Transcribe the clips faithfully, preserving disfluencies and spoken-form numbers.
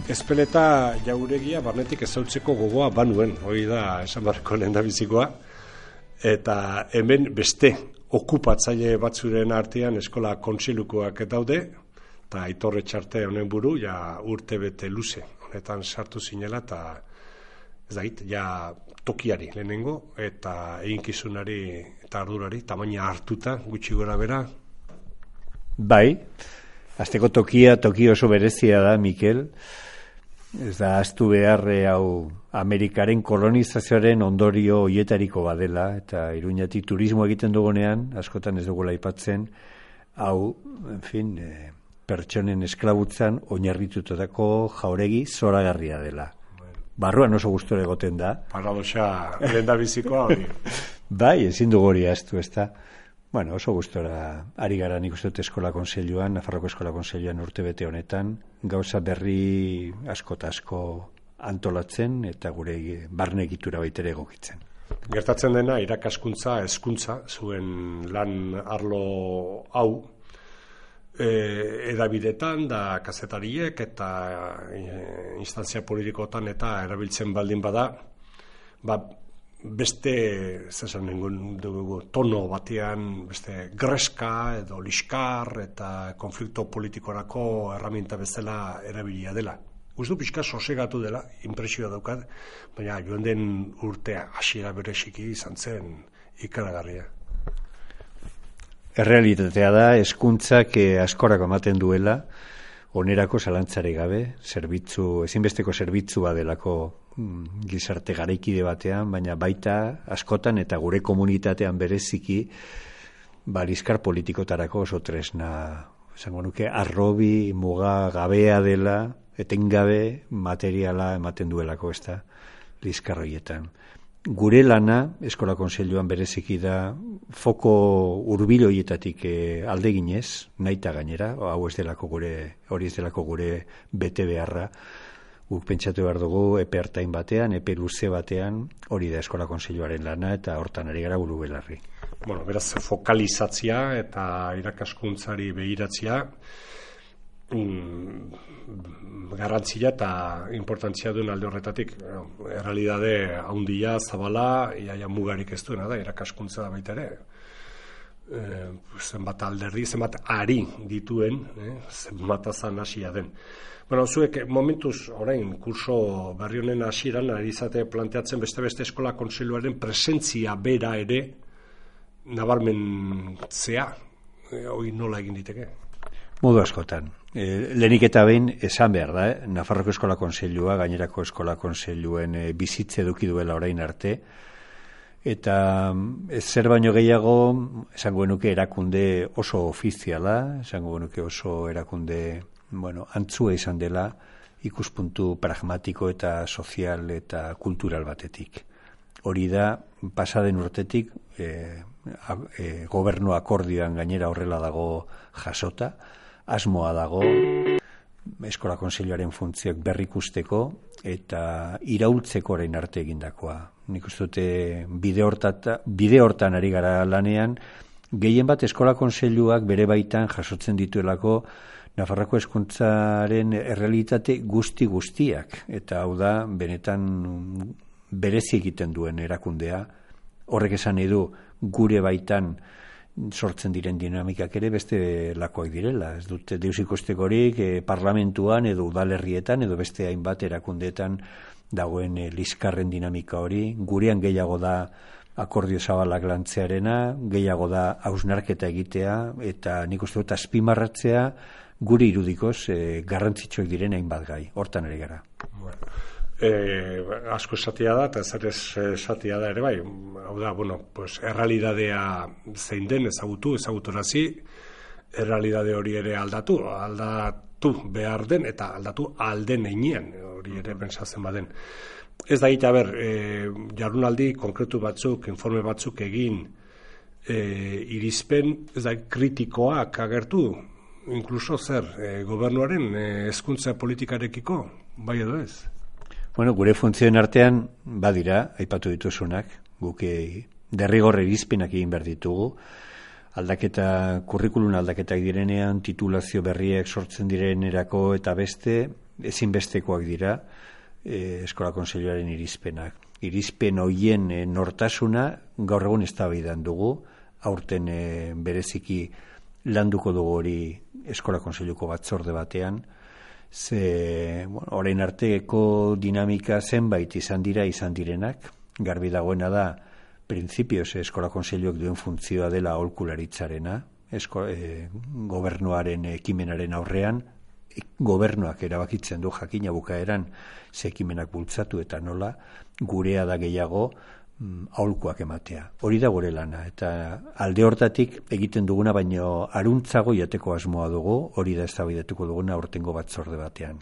Ezpeleta jauregia barnetik ezautzeko gogoa banuen, hori da esan barreko lehendabizikoa, eta hemen beste okupatzaile batzuren artean eskola kontseilukoak daude, eta Aitor Etxarte honen buru, ja urte bete luze, honetan sartu zinela, eta ez dakit, ja tokiari lehenengo, eta eginkizunari eta ardurari, tamaina hartuta, gutxi gora bera. Bai, azteko tokia, toki oso berezia da, Mikel. Ez da, aztu behar hau Amerikaren kolonizazioaren ondorio hoietariko badela, eta Iruñatik turismo egiten dugunean, askotan ez dugula aipatzen, hau, en fin, e, pertsonen esklabutzan oinarritutako jauregi zoragarria dela. Barruan oso gustora egoten da. Paradoxa lehendabizikoa hori. Bai, ezin dugu hori ahaztu, ez da. Bueno, oso gustora ari gara nik uste dut eskola kontseiluan, Nafarroko eskola kontseiluan urte bete honetan, gauza berri asko eta asko antolatzen eta gure barne egitura baitere egokitzen. Gertatzen dena irakaskuntza, hezkuntza, zuen lan arlo hau, e, edabidetan da kazetariek eta e, instantzia politikotan eta erabiltzen baldin bada, ba, beste zesan dugu tono batean beste greska edo liskar eta konflikto politikorako erraminta bezala erabilia dela. Uste du pixka sosegatu dela, inpresioa daukat, baina joan den urtea hasiera bereziki izan zen ikaragarria. Errealitatea da, hezkuntzak askorako ematen duela, onerako zalantzari gabe, zerbitzu, ezinbesteko zerbitzu badelako gizarte garaikide batean, baina baita askotan eta gure komunitatean bereziki balizkar politikotarako oso tresna, esango nuke, arrobi, muga gabea dela, etengabe materiala ematen duelako, ez da, lizkar horietan. Gure lana, eskola kontseiluan bereziki da, foko hurbil horietatik e, aldeginez, nahita gainera, hau ez delako gure, hori ez delako gure bete beharra, guk pentsatu behar dugu epe hartain batean, epe luze batean, hori da eskola kontseiluaren lana eta hortan ari gara buru belarri. Bueno, beraz, fokalizatzia eta irakaskuntzari behiratzia, mm, garrantzia eta importantzia duen alde horretatik. Errealidade handia, zabala, iaia mugarik ez duena da, irakaskuntza da baita ere. E, zenbat alderdi, zenbat ari dituen, eh, zenbat azan hasia den. Bueno, zuek momentuz orain kurso berri honen hasieran ari izate planteatzen beste-beste eskola kontseiluaren presentzia bera ere nabarmentzea, e, hori nola egin diteke? Modu askotan. E, lehenik eta behin esan behar da, eh? Nafarroko eskola kontseilua, gainerako eskola kontseiluen e, bizitze eduki duela orain arte, eta ez zer baino gehiago, esango genuke erakunde oso ofiziala, esango genuke oso erakunde, bueno, antzua izan dela ikuspuntu pragmatiko eta sozial eta kultural batetik. Hori da, pasaden urtetik, e, a, e, gobernu akordioan gainera horrela dago jasota, asmoa dago eskola kontseiluaren funtzioak berrikusteko eta iraultzeko orain arte egindakoa. Nik uste dute bide hortata, bide hortan ari gara lanean, gehien bat eskola kontseiluak bere baitan jasotzen dituelako Nafarroko hezkuntzaren errealitate guzti guztiak, eta hau da benetan berezi egiten duen erakundea. Horrek esan nahi du gure baitan sortzen diren dinamikak ere beste lakoak direla. Ez dute deus ikustekorik eh, parlamentuan edo udalerrietan edo beste hainbat erakundeetan dagoen eh, liskarren dinamika hori. Gurean gehiago da akordio zabalak lantzearena, gehiago da hausnarketa egitea eta nik uste dut azpimarratzea gure irudikoz eh, garrantzitsuak diren hainbat gai. Hortan ere gara. Bueno. Eh, asko esatia da eta zer esatia da ere bai, hau da, bueno, pues errealidadea zein den ezagutu, ezaguturazi, errealidade hori ere aldatu, aldatu behar den eta aldatu alden einean, hori ere pentsatzen baden. Ez da gita, ber, eh, jardunaldi konkretu batzuk, informe batzuk egin, eh, irizpen, ez da, kritikoak agertu, inkluso zer, eh, gobernuaren eh, hezkuntza politikarekiko, bai edo ez? Bueno, gure funtzioen artean badira, aipatu dituzunak, guk derrigorre irizpenak egin behar ditugu, aldaketa, kurrikulun aldaketak direnean, titulazio berriek sortzen direnerako eta beste, ezinbestekoak dira e, Eskola Kontseiluaren irizpenak. Irizpen hoien e, nortasuna gaur egun eztabaidan dugu, aurten e, bereziki landuko dugu hori Eskola Kontseiluko batzorde batean, ze bueno, orain arteko dinamika zenbait izan dira izan direnak, garbi dagoena da printzipioz Eskola Kontseiluak duen funtzioa dela aholkularitzarena, esko, e, gobernuaren ekimenaren aurrean, e, gobernuak erabakitzen du jakina bukaeran ze ekimenak bultzatu eta nola, gurea da gehiago mm, aholkuak ematea. Hori da gure lana, eta alde hortatik egiten duguna baino aruntzago jateko asmoa dugu, hori da eztabaidatuko duguna aurtengo batzorde batean.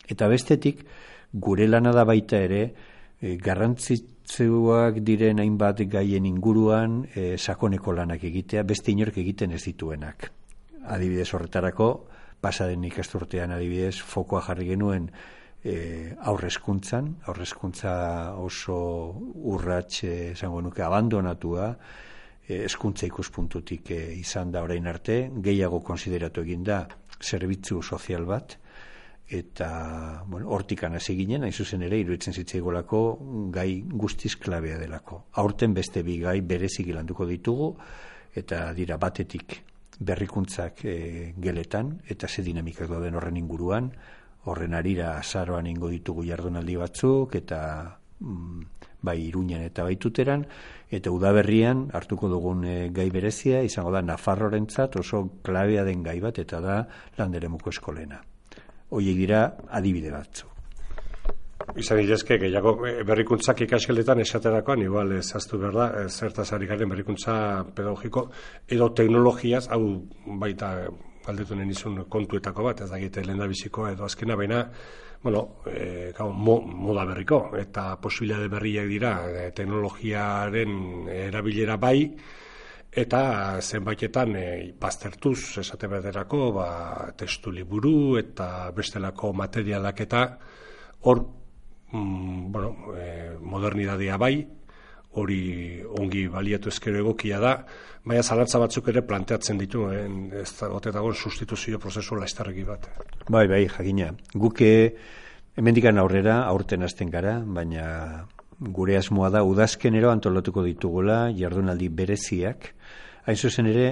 Eta bestetik, gure lana da baita ere, e, garrantzitsuak diren hainbat gaien inguruan e, sakoneko lanak egitea, beste inork egiten ez dituenak. Adibidez horretarako, pasaden ikasturtean adibidez, fokoa jarri genuen e, aurrezkuntzan, aurrezkuntza oso urrats esango nuke abandonatua, e, hezkuntza ikuspuntutik e, izan da orain arte, gehiago konsideratu egin da zerbitzu sozial bat, eta bueno, hortikan hasi ginen, hain zuzen ere, iruditzen zitzaigolako gai guztiz klabea delako. Aurten beste bi gai bereziki landuko ditugu, eta dira batetik berrikuntzak e, geletan, eta ze dinamikak dauden horren inguruan, horren arira azaroan ingo ditugu jardunaldi batzuk, eta mm, bai Iruñan eta bai Tuteran, eta udaberrian hartuko dugun e, gai berezia, izango da Nafarrorentzat oso klabea den gai bat, eta da Landeremuko eskolena. Hoiek dira adibide batzu. Izan idezke, gehiago berrikuntzak ikasgeletan esaterakoan, igual ez aztu behar da, zertaz ari garen berrikuntza pedagogiko, edo teknologiaz, hau baita galdetu nahi nizun kontuetako bat, ez da egite lehen da biziko edo azkena, baina, bueno, e, gau, mo, moda berriko, eta posibilitate berriak dira, e, teknologiaren erabilera bai, eta zenbaitetan e, baztertuz esate baterako, ba, testu liburu eta bestelako materialak eta hor, mm, bueno, e, modernidadea bai, hori ongi baliatu ezkero egokia da, baina zalantza batzuk ere planteatzen ditu, eh? Ez da gotetagon sustituzio prozesu laiztarreki bat. Bai, bai, jakina. Guke hemendikan aurrera, aurten hasten gara, baina gure asmoa da udazkenero antolatuko ditugula jardunaldi bereziak. Hain zuzen ere,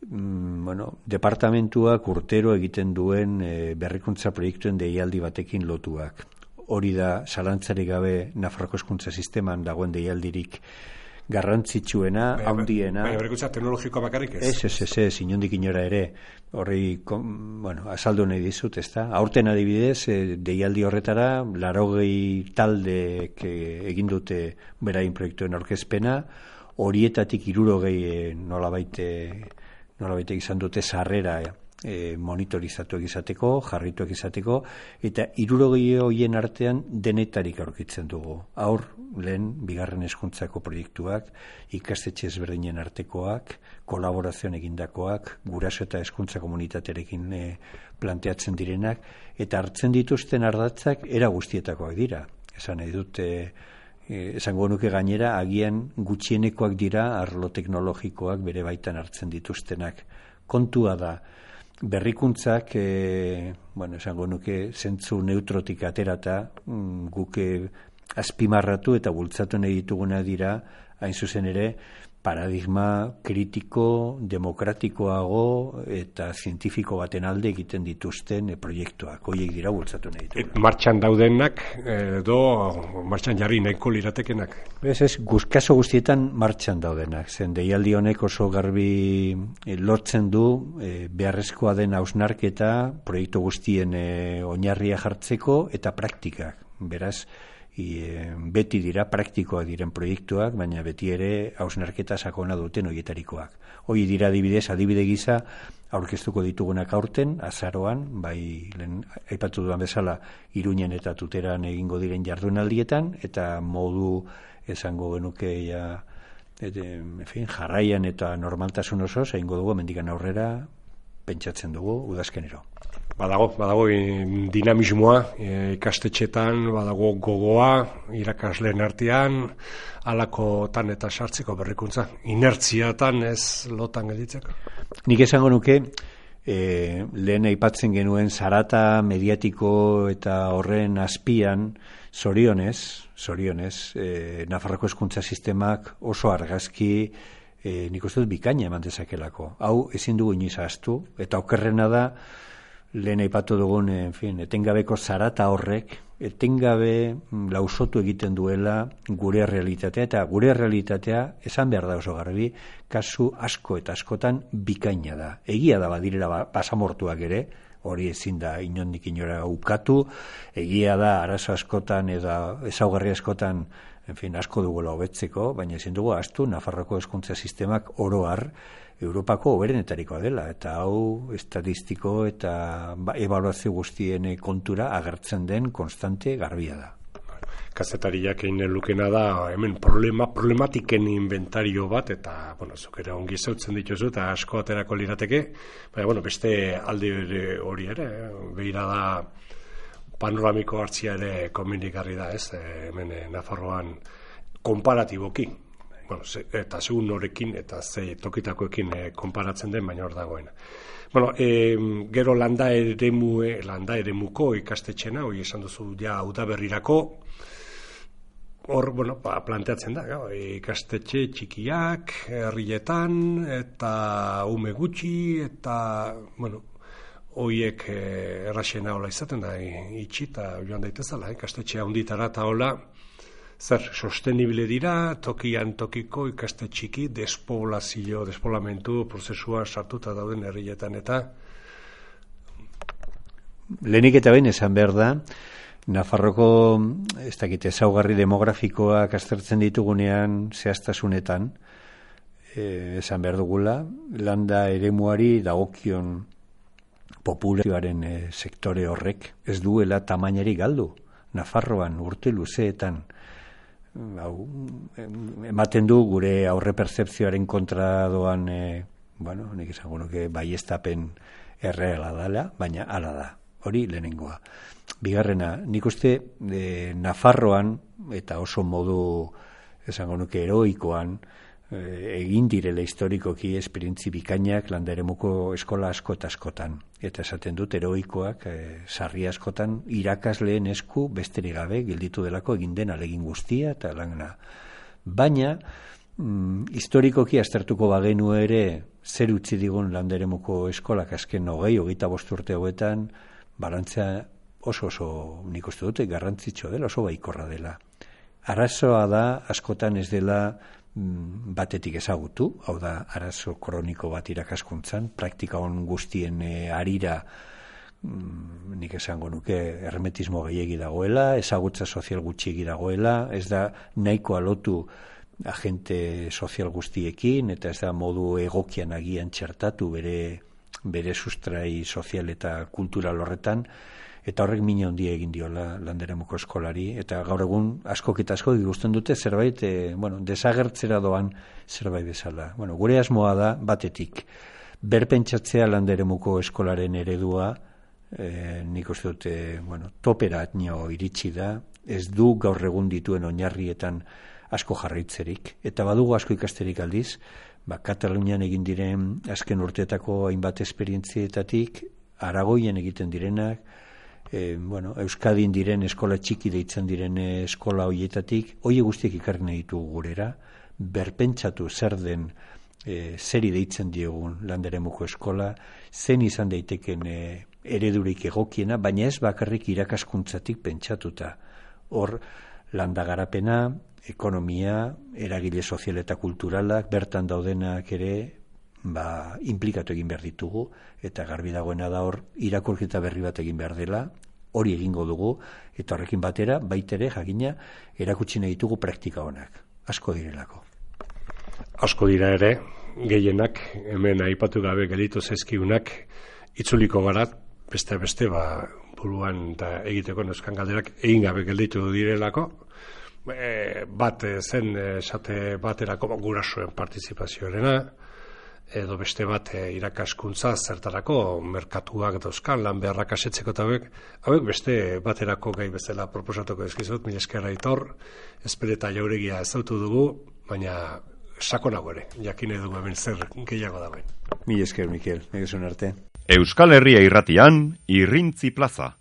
mm, bueno, departamentuak urtero egiten duen e, berrikuntza proiektuen deialdi batekin lotuak. Hori da, zalantzarik gabe Nafarroko hezkuntza sisteman dagoen deialdirik garrantzitsuena, handiena. Baina berrikuntza teknologikoa bakarrik ez? Ez, ez, ez, ez, inondik inora ere. Horri, bueno, azaldu nahi dizut, ez da? Aurten adibidez, deialdi horretara, larogei taldeek egin dute berain proiektuen aurkezpena, horietatik hirurogei nolabait nolabait izan dute sarrera E, monitorizatuak izateko, jarrituak izateko, eta hirurogei horien artean denetarik aurkitzen dugu. Haur, lehen, bigarren hezkuntzako proiektuak, ikastetxe ezberdinen artekoak, kolaborazioan egindakoak, guraso eta hezkuntza komunitaterekin e, planteatzen direnak, eta hartzen dituzten ardatzak era guztietakoak dira. Esan nahi dut, e, esango nuke gainera, agian gutxienekoak dira arlo teknologikoak bere baitan hartzen dituztenak. Kontua da, berrikuntzak, e, bueno, esango nuke, zentzu neutrotik aterata, mm, guke azpimarratu eta bultzatu nahi dituguna dira, hain zuzen ere, paradigma kritiko, demokratikoago eta zientifiko baten alde egiten dituzten e, proiektuak. Hoiek dira bultzatu nahi dituguna. Martxan daudenak, edo martxan jarri nahiko liratekenak? Ez ez, kaso guztietan martxan daudenak. Zen deialdi honek oso garbi e, lortzen du e, beharrezkoa den hausnarketa proiektu guztien e, oinarria jartzeko eta praktikak. Beraz, I, beti dira praktikoak diren proiektuak, baina beti ere hausnarketa sakona duten horietarikoak. Hoi dira adibidez, adibide gisa aurkeztuko ditugunak aurten, azaroan, bai lehen aipatu duan bezala Iruñen eta Tuteran egingo diren jardunaldietan, eta modu esango genuke ja, et, en fin, jarraian eta normaltasun osoz egingo dugu mendikan aurrera pentsatzen dugu udazkenero. Badago, badago dinamismoa e, ikastetxetan, badago gogoa, irakasleen artean, halakotan eta sartzeko berrikuntza. Inertziatan ez lotan gelditzeko? Nik esango nuke, E, lehen aipatzen genuen zarata mediatiko eta horren azpian, zorionez, zorionez, e, Nafarroko hezkuntza sistemak oso argazki e, nik uste dut bikaina eman dezakelako. Hau ezin dugu inoiz ahaztu, eta okerrena da, lehen aipatu dugun, en fin, etengabeko zarata horrek, etengabe lausotu egiten duela gure realitatea, eta gure realitatea, esan behar da oso garbi, kasu asko eta askotan bikaina da. Egia da badirela basamortuak ere, hori ezin da inondik inora ukatu, egia da arazo askotan eta ezaugarri askotan, en fin, asko dugula hobetzeko, baina ezin dugu ahaztu Nafarroko hezkuntza sistemak oro har Europako hoberenetarikoa dela, eta hau estatistiko eta ebaluazio guztien kontura agertzen den konstante garbia da. Kazetariak egin lukena da, hemen problema, problematiken inventario bat, eta, bueno, zuk ere ongi zautzen dituzu, eta asko aterako lirateke, baina, bueno, beste alde hori ere, behira da panoramiko hartzia ere komenigarri da, ez, hemen Nafarroan konparatiboki, bueno, ze, eta segun norekin, eta ze tokitakoekin e, konparatzen den, baina hor dagoena. Bueno, e, gero landa eremue, landa eremuko ikastetxena, hori esan duzu ja udaberrirako, hor, bueno, ba, planteatzen da, gau, ikastetxe txikiak, herrietan, eta ume gutxi, eta, bueno, horiek e, erraxena hola izaten da, itxi eta joan daitezala, ikastetxe handitara eta hola, zer, sostenible dira, tokian tokiko ikaste txiki, despoblazio, despoblamentu prozesua sartuta dauden herrietan eta... Lehenik eta behin esan behar da, Nafarroko, ez dakit, ezaugarri demografikoak aztertzen ditugunean zehaztasunetan, eh, esan behar dugula, landa eremuari dagokion populazioaren eh, sektore horrek ez duela tamainari galdu. Nafarroan urte luzeetan, hau, ematen du gure aurre pertzepzioaren kontra doan, e, bueno, nik esango nuke baiestapen erreala dela, baina hala da, hori lehenengoa. Bigarrena, nik uste e, Nafarroan, eta oso modu, esango nuke heroikoan, e, egin direla historikoki esperientzi bikainak landaremuko eskola asko eta askotan. Eta esaten dut heroikoak, e, sarri askotan, irakasleen esku besterik gabe gelditu delako egin den alegin guztia eta lana. Baina, mm, historikoki aztertuko bagenu ere, zer utzi digun landaremuko eskolak azken hogei, hogeita bost urte hauetan, balantzea oso oso nik uste dute garrantzitsu dela, oso baikorra dela. Arazoa da, askotan ez dela batetik ezagutu, hau da arazo kroniko bat irakaskuntzan, praktika on guztien e, arira mm, nik esango nuke hermetismo gehiegi dagoela, ezagutza sozial gutxiegi dagoela, ez da nahiko alotu agente sozial guztiekin, eta ez da modu egokian agian txertatu bere, bere sustrai sozial eta kultural horretan, eta horrek mina handia egin diola landaremuko eskolari, eta gaur egun askok eta askok ikusten dute zerbait, e, bueno, desagertzera doan zerbait bezala. Bueno, gure asmoa da batetik, berpentsatzea landaremuko eskolaren eredua, e, nik uste dute, bueno, toperatnio iritsi da, ez du gaur egun dituen oinarrietan asko jarraitzerik, eta badugu asko ikasterik aldiz, ba, Katalunian egin diren azken urteetako hainbat esperientzietatik, Aragoien egiten direnak, E, bueno, Euskadin diren eskola txiki deitzen diren eskola hoietatik, hoi guztiek ikarri nahi ditugu gurera, berpentsatu zer den, e, zeri deitzen diogun landaremuko eskola, zen izan daiteken e, eredurik egokiena, baina ez bakarrik irakaskuntzatik pentsatuta. Hor, landagarapena, ekonomia, eragile sozial eta kulturalak, bertan daudenak ere, ba, implikatu egin behar ditugu, eta garbi dagoena da hor, irakurketa berri bat egin behar dela, hori egingo dugu, eta horrekin batera, baitere, jakina, erakutsi nahi ditugu praktika honak. Asko direlako. Asko dira ere, gehienak, hemen aipatu gabe gelditu zaizkigunak, itzuliko gara, beste beste, ba, buruan eta egiteko neuzkan galderak, egin gabe gelditu direlako, e, bat zen, esate baterako gurasoen partizipazioarena, edo beste bat e, irakaskuntza zertarako merkatuak dauzkan lan beharrak asetzeko eta hauek, hauek beste baterako gai bezala proposatuko ezkizut, mila esker Aitor, Ezpere eta Jauregia ezautu dugu, baina sakonago ere, jakin dugu hemen zer gehiago dagoen. Mila esker, Mikel, egizun arte. Euskal Herria Irratian, Irrintzi Plaza.